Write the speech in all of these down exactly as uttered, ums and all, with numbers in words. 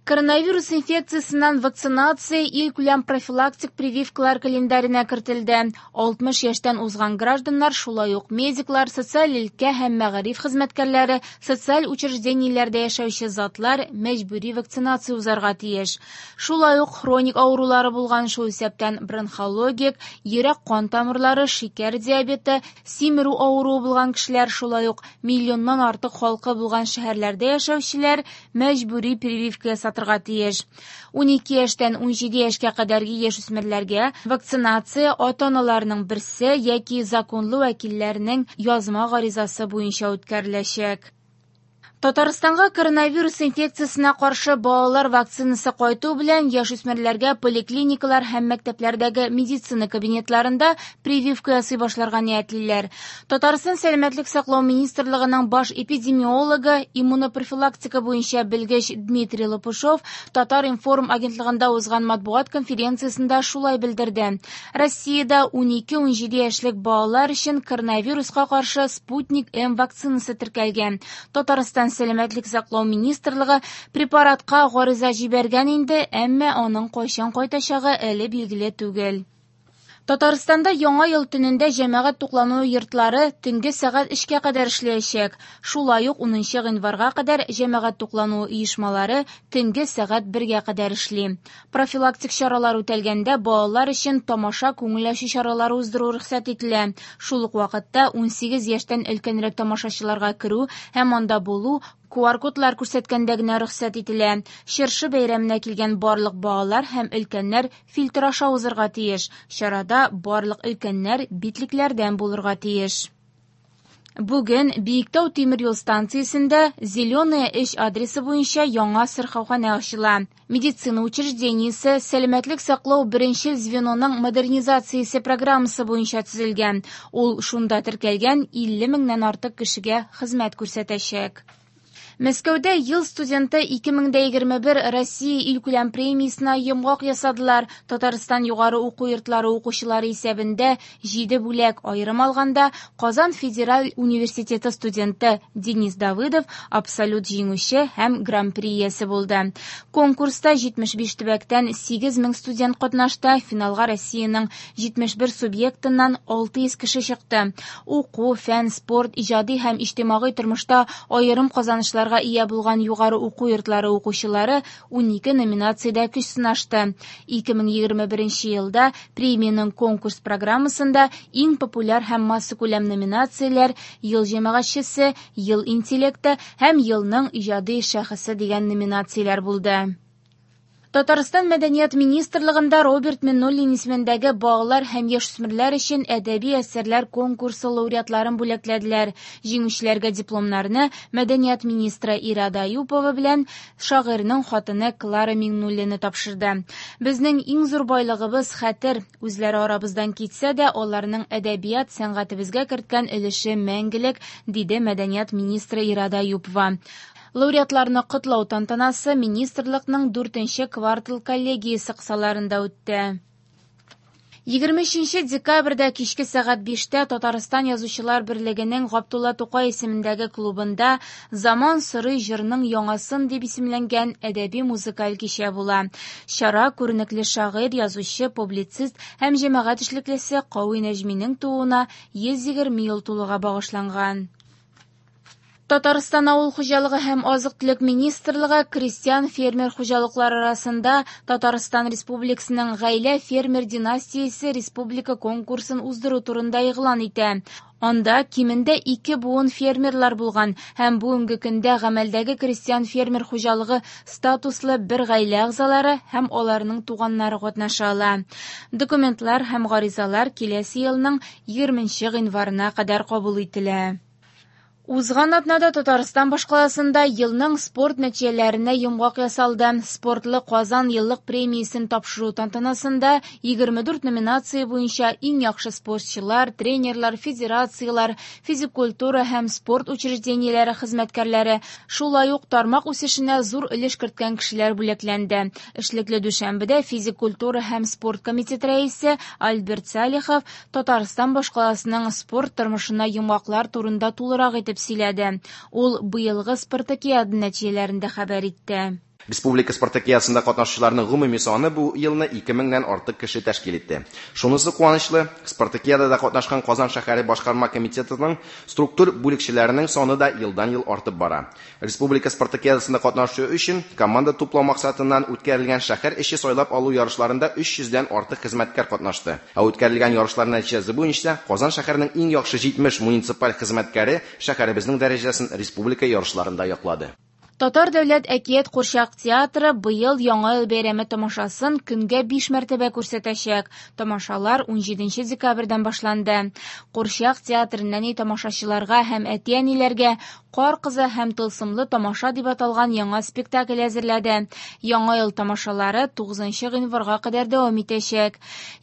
Коронавирус инфекциясеннән вакцинация илкүләм профилактик прививкалар календаренә кертелде. алтмыш яшьтән узган гражданнар, шулай ук медиклар, социаль өлкә һәм мәгариф хезмәткәрләре, социаль учреждениеләрдә яшәүче затлар мәҗбүри вакцинация узарга тиеш. Шулай ук хроник авырулары булган, шул исәптән бронхологик, йөрәк-кан тамырлары, шикәр диабеты, симерү авыруы булган кешеләр, шулай ук миллионнан артык халкы булган шәһәрләрдә яшәүчеләр мәҗбүри прививка ясатырга тиеш. Унике яшьтән унҗиде яшькә кадәрге яшүсмерләргә вакцинация ата-аналарның берсе яки законлы вәкилләренең язма гаризасы буенча үткәреләчәк. Татарстанга коронавирус инфекциясенә каршы балалар вакцинасы кайту белән яшүсмерләргә поликлиникалар һәм мәктәпләрдәге медицина кабинетларында прививка ясый башларга ниятлиләр. Татарстан Сәламәтлек саклау министрлыгының баш эпидемиологы, иммунопрофилактика буенча белгеч Дмитрий Лопушов Татар-информ агентлыгында узган матбугат конференциясендә шулай белдерде. Россиядә унике-унҗиде яшьлек балалар өчен коронавируска каршы Спутник М вакцинасы теркәлгән. Татарстан Сәламәтлек саклау министрлыгы препаратка гариза җибәргән инде, әмма аның кайчан кайтачагы әле билгеле түгел. Татарстанда яңа ел төнендә җәмәгать туклануы йортлары төнге сәгать өчкә кадәр эшләячәк. Шулай ук унынчы гыйнварга кадәр җәмәгать туклануы оешмалары төнге сәгать бергә кадәр эшли. Профилактик чаралар үтәлгәндә балалар өчен тамаша күңел ачу чаралары уздыру рөхсәт ителә. Шул ук вакытта унсигез яшьтән өлкәнрәк тамашачыларга керү һәм анда булу ку ар кодлар күрсәткәндә генә рөхсәт ителә. Чыршы бәйрәменә килгән барлык балалар һәм өлкәннәр фильтр аша узырга тиеш. Чарада барлык өлкәннәр битлекләрдән булырга тиеш. Бүген Биектау тимер юл станциясендә Зеленая өч адресы буенча яңа сырхауханә ачыла. Медицина учреждениесе сәламәтлек саклау беренчел звеноның модернизациясе программасы буенча төзелгән. Ул шунда теркәлгән илле меңнән артык кешегә хезмәт күрсәтәчәк. Мәскәүдә ел студенты ике мең дә егерме бер Россия илкүләм премиясенә йомгак ясадылар. Татарстан югары уку йортлары укучылары исәбендә җиде бүләк, аерым алганда Казан федераль университеты студенты Денис Давыдов абсолют җиңүче һәм гран-при иясе булды. Конкурста җитмеш биш төбәктән сигез мең студент катнашты. Финалга Россиянең җитмеш бер субъектыннан алты йөз кеше чыкты. Уку, фән, спорт, иҗади һәм иҗтимагый тормышта аерым казанышлар ия булган югары уку йортлары укучылары унике номинациядә көч сынашты. Ике мең егерме беренче елда премиянең конкурс программасында иң популяр һәм массакүләм номинацияләр Ел җәмәгатьчесе, Ел интеллекты һәм Елның иҗади шәхесе дигән номинацияләр булды. Татарстан Мәдәният министрлыгында Роберт Миңнуллин исемендәге балалар һәм яшүсмерләр өчен әдәби әсәрләр конкурсы лауреатларын бүләкләделәр. Җиңүчеләргә дипломнарны Мәдәният министры Ирада Аюпова белән шагыйрьнең хатыны Клара Миңнуллина тапшырды. Безнең иң зур байлыгыбыз хәтер. Үзләре арабыздан китсә дә, аларның әдәбият сәнгатебезгә керткән өлеше мәңгелек, диде Мәдәният министры Ирада Аюпова. Лауреатларны котлау тантанасы министрлыкның дүртенче квартал коллегиясе кысаларында үтте. Егерме өченче декабрьдә кичке сәгать биштә Татарстан Язучылар берлегенең Габдулла Тукай исемендәге клубында Заман сорый җырның яңасын дип исемләнгән әдәби музыкаль кичә була. Чара күренекле шагыйрь, язучы, публицист һәм җәмәгать эшлеклесе Кави Нәҗминең тууына йөз егерме ел тулуга багышланган. Татарстан Авыл хуҗалыгы һәм азык-төлек министрлыгы крестьян фермер хуҗалыклары арасында Татарстан Республикасының гаилә фермер династиясе республика конкурсын уздыру турында игълан итә. Анда кимендә ике буын фермерлар булган һәм бүгенге көндә гамәлдәге крестьян фермер хуҗалыгы статуслы бер гаилә әгъзалары һәм аларның туганнары катнаша ала. Документлар һәм гаризалар киләсе елның егерменче гыйнварына кадәр кабул ителә. Узган атнада Татарстан башкаласында елның спорт нәтиҗәләренә йомгак ясалды. Спортлы Казан еллык премиясен тапшыру тантанасында егерме дүрт номинация буенча иң яхшы спортчылар, тренерлар, федерацияләр, физик культура һәм спорт учреждениеләре хезмәткәрләре, шулай ук тармак үсешенә зур өлеш керткән кешеләр бүләкләнде. Эшлекле дүшәмбедә физик культура һәм спорт комитеты рәисе Альберт Салихов Татарстан башкаласының спорт тормышына йомгаклар турында тулырак итеп сөйләде. Ул быелгы спартакиада нәтиҗәләрен дә хәбәр итте. Республика спартакиадасында катнашучыларның гомуми саны бу елны ике меңнән артык кеше тәшкил итте. Шунысы куанычлы, спартакиадада катнашкан Казан шәһәре башкарма комитетының структур бүлекчәләренең саны да елдан-ел артып бара. Республика спартакиадасында катнашу өчен команда туплау максатыннан үткәрелгән шәһәр эче сайлап алу ярышларында өч йөздән артык хезмәткәр катнашты. Ә үткәрелгән ярышлар нәтиҗәсе буенча Казан шәһәренең иң яхшы җитмеш муниципаль хезмәткәре шәһәребезнең дәрәҗәсен республика ярышларында яклады. Татар дәүләт әкият курчак театры быел Яңа ел бәйрәме тамашасын көнгә биш мәртәбә күрсәтәчәк. Тамашалар ун җиденче декабрьдән башланды. Курчак театры нәни тамашачыларга һәм әти-әниләргә Кар кызы һәм тылсымлы тамаша дип аталган яңа спектакль әзерләде. Яңа ел тамашалары тугызынчы гыйнварга кадәр дәвам итәчәк.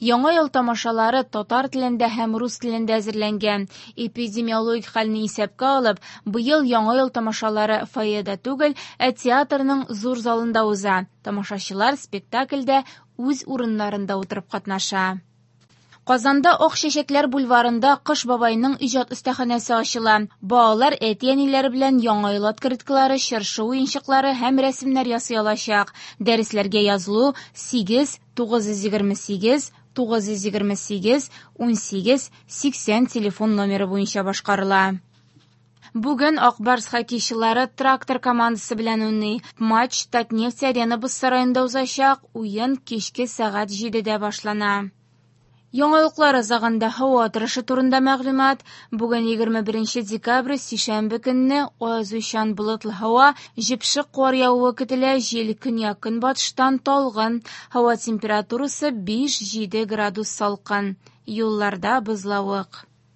Яңа ел тамашалары татар телендә һәм рус телендә әзерләнгән. Эпидемиологик хәлне исәпкә алып, быел Яңа ел тамашалары фойеда түгел, ә театрның зур залында уза. Тамашачылар спектакльдә үз урыннарында утырып катнаша. Казанда Ак чәчәкләр бульварында Кыш бабайның иҗат остаханәсе ачыла. Балалар әти-әниләре белән яңа ел открыткалары, чыршы уенчыклары һәм рәсемнәр ясый алачак. Дәресләргә язылу сигез, тугыз йөз егерме сигез, тугыз йөз егерме сигез, ун сигез, сиксән телефон номеры буенча башкарыла. Бүген Ак Барс хоккейчылары Трактор командасы белән уйный. Матч Татнефть Арена боз сараенда узачак. Уен кичке сәгать җидедә башлана. Яңалыклар азагында һава торышы турында мәгълүмат. Бүген егерме беренче декабрь, сишәмбе көнне аязучан болытлы һава, җепшек кар явуы көтелә, җил көньяк-көнбатыштан талгын. Һава температурасы биш-җиде градус салкын. Юлларда бозлавык.